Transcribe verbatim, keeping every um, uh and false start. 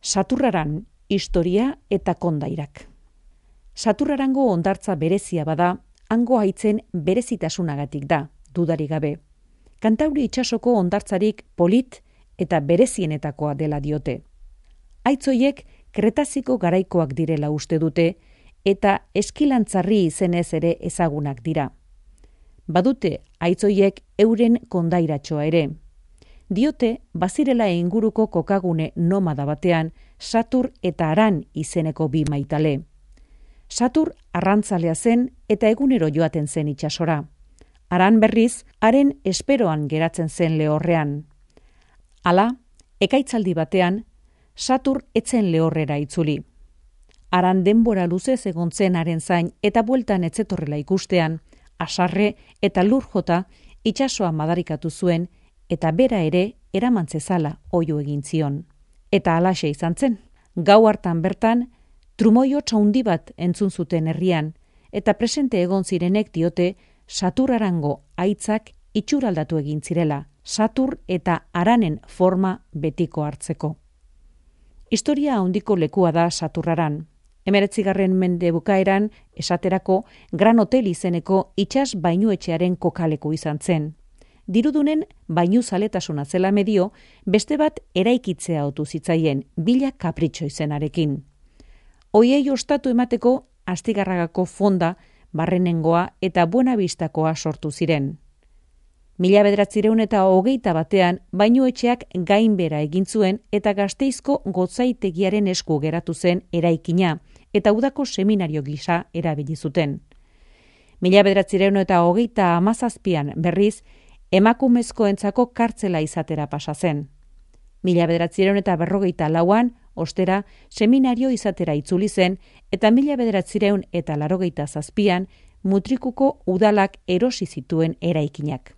Saturraran, historia eta kondairak. Saturrarango hondartza berezia bada, hango haitzen berezitasunagatik da, dudarik gabe. Kantauri itsasoko hondartzarik polit eta berezienetakoa dela diote. Haitzoiek Kretaziko garaikoak direla uste dute eta eskilantzarri izenez ere ezagunak dira. Badute haitzoiek euren kondairatxoa ere. Diote bazirela inguruko kokagune nomada batean Satur eta Aran izeneko bi maitale. Satur arrantzalea zen eta egunero joaten zen itsasora. Aran berriz, haren esperoan geratzen zen lehorrean. Hala, ekaitzaldi batean, Satur etzen lehorrera itzuli. Aran denbora luzez egon zen haren zain eta bueltan etzetorrela ikustean, asarre eta lur jota itsasoa madarikatu zuen eta bera ere eramantzezala oio egin zion. Eta halaxe izan zen, gau hartan bertan, trumoio txaundi bat entzun zuten herrian, eta presente egon zirenek diote Saturrarango haitzak itxuraldatu egin zirela, Satur eta Aranen forma betiko hartzeko. Historia handiko lekua da Saturraran. Hemeretzigarren mende bukaeran, esaterako, Gran Hotel izeneko itsas bainuetxearen kokaleku izan zen. Dirudunen bainu zaletasuna zela medio, beste bat eraikitzea otu zitzaien, bila kapritxo izenarekin. Hoiei ostatu emateko Astigarragako fonda, Barrenengoa eta Buenavistakoa sortu ziren. Mila bederatzireun eta hogeita batean bainuetxeak gainbera egin zuen eta Gasteizko gotzaitegiaren esku geratu zen eraikina eta udako seminario gisa erabili zuten. Mila bederatzireun eta hogeita hamazazpian berriz emakumezkoentzako kartzela izatera pasa zen. Mila bederatzireun eta berrogeita lauan, ostera, seminario izatera itzuli zen eta mila bederatzireun eta larogeita zazpian mutrikuko udalak erosi zituen eraikinak.